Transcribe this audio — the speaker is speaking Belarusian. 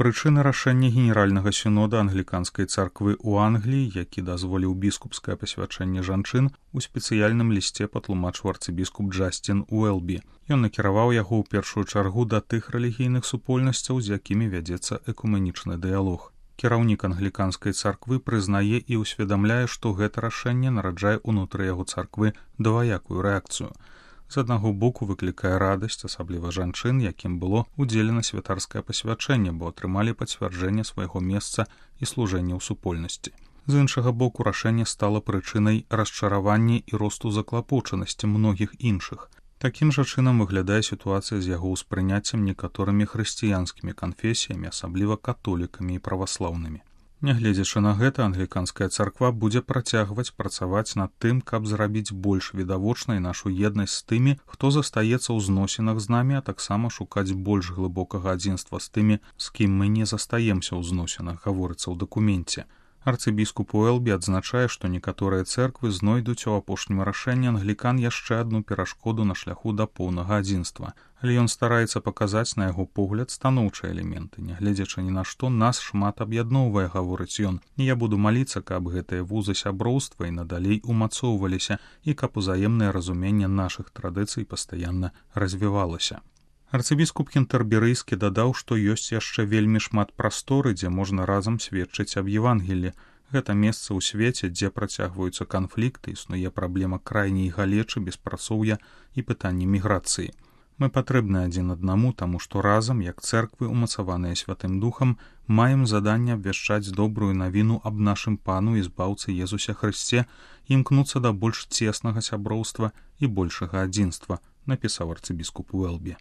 Прычыны рашэння генеральнага сінода англіканскай царквы ў Англіі, які дазволіў біскупскае пасвячэнне жанчын, у спецыяльным лісце патлумачыў арцыбіскуп Джасцін Уэлбі. Ён накіраваў яго ў першую чаргу да тых рэлігійных супольнасцяў, з якімі вядзецца экуменічны дыялог. Кіраўнік англіканскай царквы прызнае і ўсведамляе, што гэта рашэнне нараджае ўнутры яго царквы дваякую рэакцыю. З аднаго боку выклікае радасць, асабліва жанчын, якім было ўдзелена святарскае пасвячэнне, бо атрымалі пацвярджэнне свайго месца і служэння ў супольнасці. З іншага боку, рашэнне стала прычынай расчаравання і росту заклапочанасці многіх іншых. Такім жа чынам выглядае сітуацыя з яго ўспрыняццем некаторымі хрысціянскімі канфесіямі, асабліва католікамі і праваслаўнымі. Нягледзячы на гэта, англіканская царква будзе працягваць працаваць над тым, каб зрабіць больш відавочнай нашу еднасць з тымі, хто застаецца ў зносінах з намі, а таксама шукаць больш глыбокага адзінства з тымі, з кім мы не застаемся ў зносінах, гаворыцца ў дакуменце. Арцыбіскуп Уэлбі адзначае, што некаторыя цэрквы знойдуць у апошнім рашэнні англікан яшчэ адну перашкоду на шляху да поўнага адзінства. Але ён стараецца паказаць на яго погляд станоўчыя элементы. Нягледзячы ні на што, нас шмат аб'ядноўвае, гаворыць ён. І я буду маліцца, каб гэтыя вузы сяброўства і надалей умацоўваліся і каб узаемнае разуменне нашых традыцый пастаянна развівалася. Арцыбіскуп кентэрберыйскі дадаў, што ёсць яшчэ вельмі шмат прасторы, дзе можна разам сведчыць аб Евангеллі. Гэта месца ў свеце, дзе працягваюцца канфлікты, існуе праблема крайняй галечы, беспрацоўя і пытанні міграцыі. Мы патрэбны адзін аднаму, таму што разам, як цэрквы, умацаваныя Святым Духам, маем заданне абвяшчаць добрую навіну аб нашым Пану і збаўцы Езусе Хрысце, імкнуцца да больш цеснага сяброўства і большага адзінства, напісаў арцыбіскуп Уэлбі.